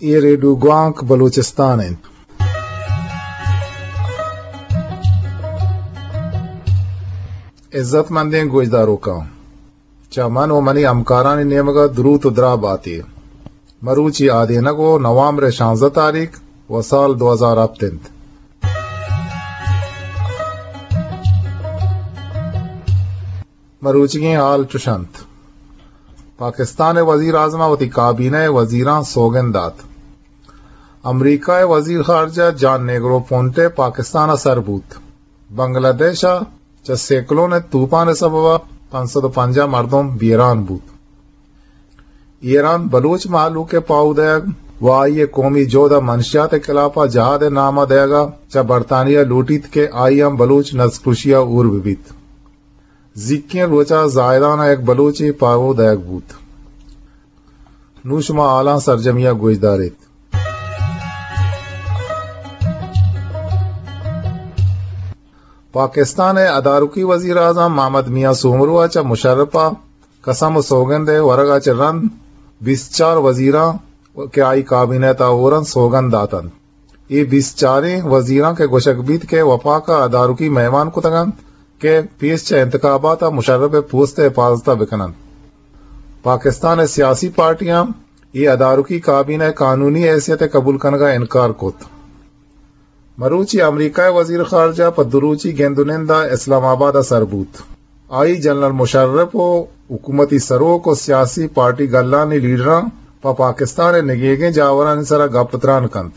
اے ریڈیو گوانک بلوچستان انت۔ عزت مندیں گوشداروکاں، چہ من و منی ہمکارانی نیمگا دروت و دراہ باتے۔ مروچی آدینگ و نوامبر شانزدہ تاریخ و سال دو ہزار ہپت انت۔ مروچیگیں حال چش انت۔ پاکستان ء وزیر اعظم ء وتی کابینہ ء وزیراں سوگند دات۔ امریکہ ء وزیر خارجہ جان نیگرو پونٹے پاکستان ء سر بوت۔ بنگلہ دیش ء چہ سیکلون ء توپان ء سبب ء پنچ سد و پنجاہ مردم بیران بوت۔ ایران بلوچ مہلوک ء پاہو دئیگ و آئی ء قومی جہد ء منشیات ء خلاف ء جہاد ء نام ء دئیگ ء چہ برطانیہ لوٹیت کہ آئی ہم بلوچ نسل کشی ء ہور بہ بیت۔ زیکیں روچ ء زاہدان ء یک بلوچے پاہو دئیگ بوت۔ نوں شما حالاں سرجمی ء گوش داریت۔ پاکستان ء ادارکی وزیر اعظم محمد میاں سومرو ء چہ مشرف ء قسم و سوگند ء ورگ ء چہ رند بیست چار وزیراں کہ آئی کابینہ ء تہا ہور انت سوگند دات انت۔ اے بیست چاریں وزیراں کہ گوشگ بیت کہ وفاق ء ادارکی مہمان کتگ انت کہ پیش چہ انتخابات ء مشرف ء پوست ء حفاظت ء بہ کن انت۔ پاکستان ء سیاسی پارٹیاں اے ادارکی کابینہ ء قانونی حیثیت ء قبول کنگ ء انکار کت۔ مروچی امریکہ ء وزیر خارجہ پہ دو روچی گند و نند ء اسلام آباد ء سر بوت۔ آئی جنرل مشرف و حکومتی سروک و سیاسی پارٹی گلانی لیڈراں پہ پاکستان ء نگیگیں جاورانی سرا گپ تران کنت۔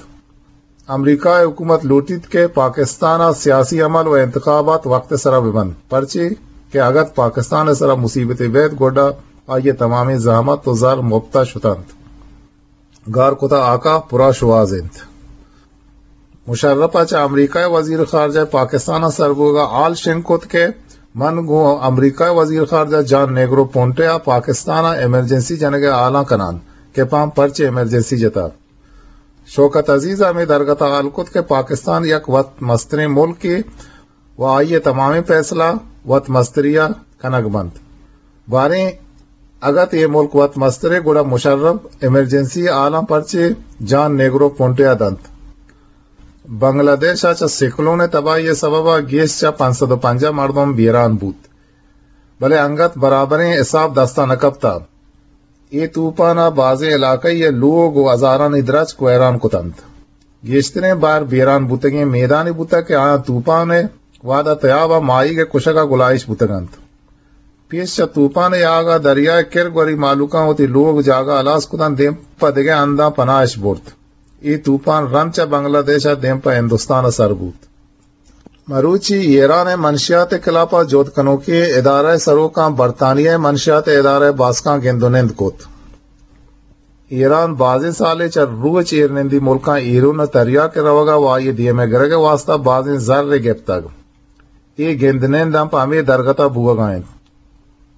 امریکہ ء حکومت لوٹیت کہ پاکستان ء سیاسی عمل و انتخابات وقت ء سرا بہ بنت، پرچے کہ اگت پاکستان ء سرا مصیبتے بیت گڈا آئی ء تمامیں زحمت و زر مپت ء شتنت۔ گار کتہ آکا پرا شواز انت۔ مشرف ء چہ امریکہ ء وزیر خارجہ پاکستان ء سر بوگ ء حال شنگ کت کہ من گوں امریکہ ء وزیر خارجہ جان نیگرو پونٹے ء پاکستان ء ایمرجنسی جنگ ء حالاں کنان کہ پہ آں پرچے ایمرجنسی جتہ۔ شوکت عزیز ء ہمے درگت ء حال کت کہ پاکستان یک وت مستریں ملکے و آئی ء تمامیں پیسلہ وت مستری ء کنگ بنت۔ باریں اگت اے ملک وت مسترے گڑا مشرف ایمرجنسی حالاں پرچے جان نیگرو پونٹے ء دنت۔ بنگلہ دیش ء چہ سیکلون ء تباہی ء سبب ء گیش چہ پنچ سد و پنجاہ مردم بیران بوت، بلے انگت برابریں حساب دست ء نہ کپتہ۔ اے توپان ء بازیں علاقہ ء لوگ و ہزارانی درچک ویران کتنت۔ گیشتریں بار بیران بوتگیں میدانے بوتگ کہ آیاں توپان ء وہد ء تیاب ء ماہیگ ء کشگ ء گلائیش بوتگ انت۔ پیش چہ توپان ء آگ ء دریا ء کرگوری مہلوکاں وتی لوگ جاگہ ہلاس کتنت، دیم پہ دگہ ہنداں پناہ اش برت۔ اے توپان رند چہ بنگلہ دیش ء دیم پہ ہندوستان ء سر بوت۔ مروچی ایران ء منشیات ء خلاف ء جہد کنوکیں ادارہ ء سروکاں برطانیہ ء منشیات ء ادارہ ء باسکاں گند و نند کت۔ ایران بازیں سالے چہ روچ ایرنندی ملکاں ایرون ء تریاک ء روگ ء و آئی ء دیم ء گرگ ء واستہ بازیں زر ء گپتگ۔ اے گند نند ہم پہ ہمے درگت ء بوگ ء انت۔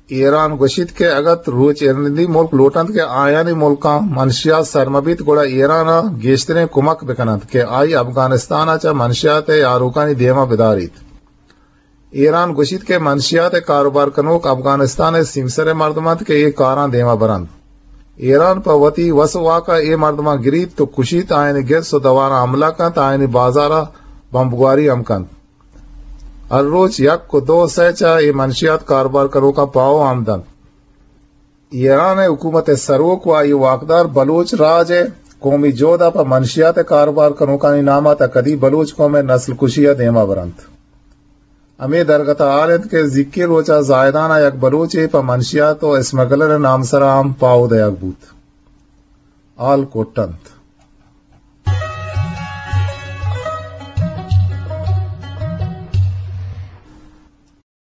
ایران گوشیت کہ اگت روچ ایرنندی ملک لوٹنت کہ آیانی ملکاں منشیات سر مہ بیت، گڑا ایران ء گیشتریں کمک بکننت کہ آئی افغانستان ء چہ منشیات ء آروکانی دیم ء بداریت۔ ایران گوشیت کہ منشیات ء کاروبار کنوک افغانستان ء سیمسر ء مردم انت کہ اے کاراں دیم ء برنت۔ ایران پہ وتی وس ء واک ء اے مردماں گریت و کشیت، آیانی گرس و دواراں حملہ کنت، آیانی بازار ء بمبگواری ہم کنت۔ ہر روچ یک و دو سئے چہ اے منشیات کاروبار کنوکاں پاہو ہم دنت۔ ایران ء حکومت ء سروک و آئی واکدار بلوچ راج ء قومی جہد ء پہ منشیات ء کاروبار کنوکانی نام ء تا کدی بلوچ قوم ء نسل کشی ء دیما برنت۔ ہمے درگت ء حال انت کہ زیکیں روچ ء زاہدان ء یک بلوچے پہ منشیات و اسمگلر ء نام سرا ہم پاہو دئیگ بوت۔ حال کٹ انت۔